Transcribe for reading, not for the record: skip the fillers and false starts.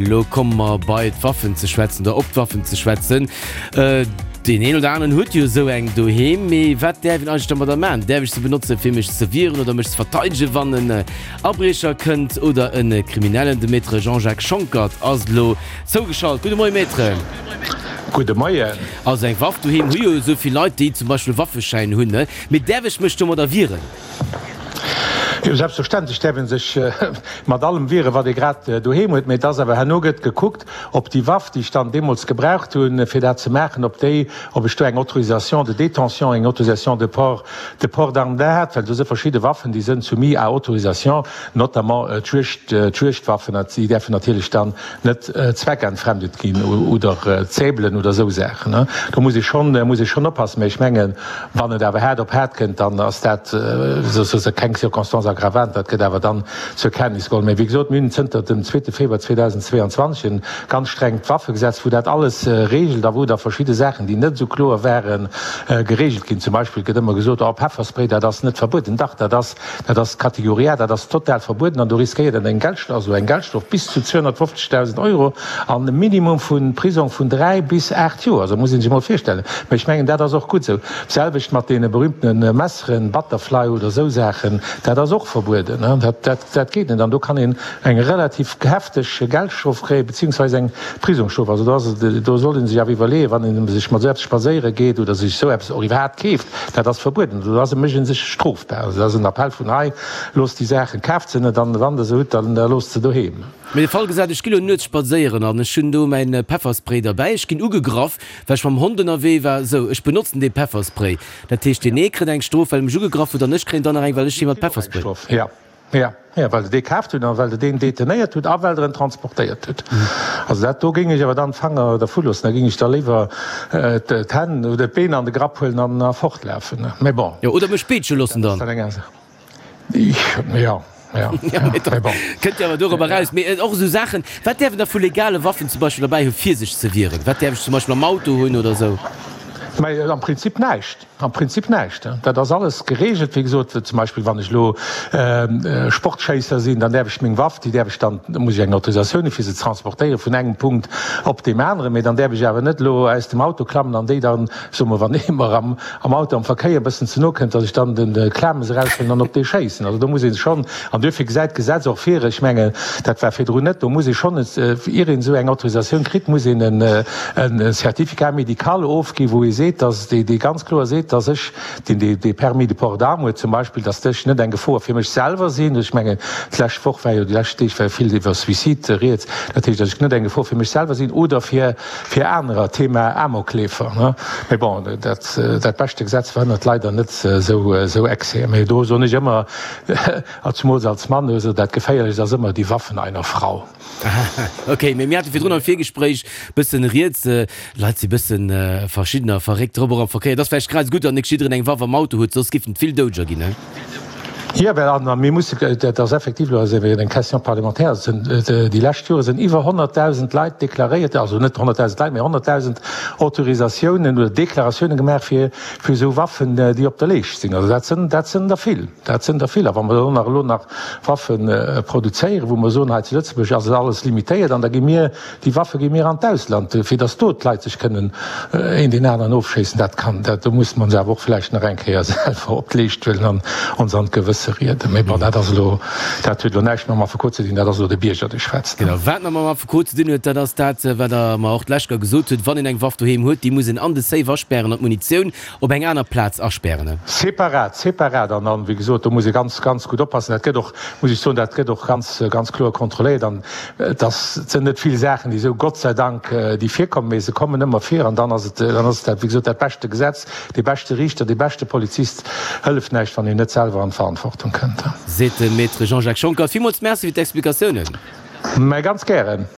Elo komme mer bei d'Waffen ze schwätzen oder op d'Waffen ze schwätzen. Deen een oder aneren huet jo esou eng doheem. Mee wat däerf een eigentlech domadder maachen? Däerf ech se benotzen, fir mech ze wieren oder mech ze verteidegen, wann en Abriecher kënnt oder e Kriminellen? De Maître Jean-Jacques Schonckert ass elo zougeschalt. Gudde Moie Maître. Gudde Moien. Also eng Waff doheem hu jo esou vill Leit, déi zum Beispill e Waffeschäin hunn. Mee däerf ech mech domadder wieren? Jo, selbstverständlech däerf ee sech mat allem wieren, wat ee grad doheem huet. Mee et ass awer, herno gëtt gekuckt, ob déi Waff, déi ech dann deemools gebraucht hunn, fir dat ze maachen, ob déi, ob ech do eng Autorisation de détention, eng Autorisation de port, de port d'arme da hat. Well do si verschidde Waffen, déi sënn soumis à autorisation, notamment d'Juegd, d'Juegdwaffen, déi däerfen natierlech dann net zweckentfremdet ginn oder Zäbelen oder esou Saachen. Do muss ee schonn, muss ee schonn oppassen. Mee ech mengen, Wann et awer haart op haart kënnt, dann ass dat souzesoe keng Circonstance aggravante, dat gëtt awer dann zur Kenntnis geholl. Mä wéi gesot, mir hunn zënter dem zweete Februar 2022 e ganz strengt Waffegesetz, wou dat alles regelt a wou da verschidde Saachen, déi net esou kloer waren, geregelt ginn. Zum Beispill gëtt ëmmer gesot, oh Pefferspray, dat ass net verbueden. Dach, dat ass Dat ass Kategorie A, dat ass total verbueden an do riskéiert een eng Geldstrof, also eng Geldstrof bis zu 250.000 Euro an e Minimum vu Prisong vun 3 bis 8 Joer. Also muss ee sech emol virstellen. Mä ech mengen, dat ass och gutt esou. D'selwecht mat deene berühmtene Messeren, Butterfly oder esou Saachen, dat ass och verbueden. Dat, dat, dat geet net an do kann een eng relativ hefteg Geldstrof kréien, beziehungsweise eng Prisongsstrof. Also do ass et, do sollt ee sech awer iwwerleeën, wann ee sech mat esou eppes spadséiere geet oder sech esou eppes och iwwerhaapt keeft, Dat ass verbueden. Do ass e mécht ee sech strofbar. Also dat ass en Appell vun hei, Loosst déi Saachen, kaaft se net an wann Der se hutt, dann loosst se doheem. Mee de Fall gesat, ech gi lo nuets spadséieren an ech hunn do mäin Pefferspray derbäi, ech ginn ugegraff, well ech mam Hond ënnerwee war, sou, ech benotzen dee Pefferspray. Dat heescht, deen ee kritt eng Strof, well e mech ugegraff huet an ech kréien dann nach eng, well ech hie mat Pefferspray. Jo. Ja, ja, well Der dee kaaft hutt an well Der deen detenéiert hutt a well Der en transportéiert hutt. Also dat do géing ech awer dann d'Fanger dervu loossen. Da géing ech da léiwer d'Hänn oder d'Been an de Grapp huelen an a fortlafen. Mä bon. Jo, oder mech peetsche loossen dann. Jo, jo, jo, mä bon. Kënnt jo awer dorobber eraus. Mee och esou Saachen, wat däerf een da vu legale Waffen zum Beispill derbäi hu fir sech ze wieren? Wat däerf ech zum Beispill am Auto hunn oder esou? Mä am Prinzip näischt. Am Prinzip näischt. Dat ass alles geregelt. Wéi gesot, zum Beispill wann ech elo Sportschéisser sinn, dann däerf ech meng Waff, déi däerf ech dann, da muss ech eng Autorisatioun hu fir se ze transportéieren vun engem Punkt op deem aneren, mee dann däerf ech awer net elo aus dem Auto klammen an déi dann, soe mer, wann ee mer am Auto am Verkéier e bëssen ze no kënnt, datt ech dann de Klames eraushuelen an op dee schéissen. Also do muss ee schonn, an duerfir gesäit d'Gesetz och vir, ech mengen, dat war virdrun net, do muss ee schonn, ier een esou eng Autorisatioun kritt, muss een e Certificat médical ofginn, wou ee seet, datt, dee ganz kloer seet, datt ech, deen dee Permis de port d'arme huet zum Beispill, datt ech net eng Gefor fir mech selwer sinn. Ech mengen, d'lescht Woch war jo, déi lescht Deeg war jo vill iwwer Suicide rieds. Dat heescht, datt ech net eng Gefor fir mech selwer sinn oder fir, fir anerer, Thema Amokleefer, ne. Mee bon, dat, dat beschte Gesetz verhënnert leider net esou, esou Excèsen. Mee do soen ech ëmmer, a zumools als Mann, also dat Geféierlechst ass ëmmer die Waffen einer Frau. Ok, mee mir hate virdrun am Virgespréich bëssen rieds, Leit si bëssen verschidden a verréckt drop, och am Verkéier. Et ass vläicht grad esou gutt, datt net jiddereen eng Waff am Auto huet, soss giffen et vill Doudeger ginn, he? Jo, well an mir musse, dat ass effektiv elo eng Question parlementaire, et sinn déi lescht Jore sinn iwwer 100.000 Leit deklaréiert, also net 100.000 Leit, mee 100.000 Autorisatiounen oder Deklaratiounen gemaach fir fir esou Waffen, déi op der Leescht sinn. Also dat sinn, dat sinn der vill, dat sinn der vill. A wa mer dann nach elo nach Waffe produzéieren, wou mer soen, hei zu Lëtzebuerg ass et alles limitéiert an da gi mir, déi Waffe gi mir an d'Ausland, fir datt do d'Leit sech kënnen een deen aneren ofschéissen, dat kann, dat, do musse mer ons awer och vläicht nach eng Kéier selwer op d'Leescht huelen an ons an d'Gewësse rieden. Mee bon, dat ass elo, dat huet elo näischt mam Affekot ze dinn, dat ass elo de Bierger, dee schwätzt. Genau, wat nach mam Affekot ze dinn huet, dat ass dat, wat Der mer och d'lescht Kéier gesot hutt, Wann een eng Waff doheem huet, déi muss een an de Safe aspären an d'Munitioun Op eng aner Plaz aspären. Separat, separat. An dann, wéi gesot, do muss ee ganz, ganz gutt oppassen. Dat gëtt och, muss ech soen, dat gëtt och ganz, ganz kloer kontrolléiert. An et ass, et sinn net vill Saachen, déi esou, Gott sei Dank, déi virkommen, mee se kommen ëmmer vir. An dann ass et, dann ass et dat, wéi gesot, dat beschte Gesetz, dee beschte Riichter, dee beschte Polizist hëlleft näischt, wann een net selwer an d'Verantwortung kënnt. Seet de Maître Jean-Jacques Schonckert. Villmools Merci fir d'Explikatiounen. Mä ganz gären.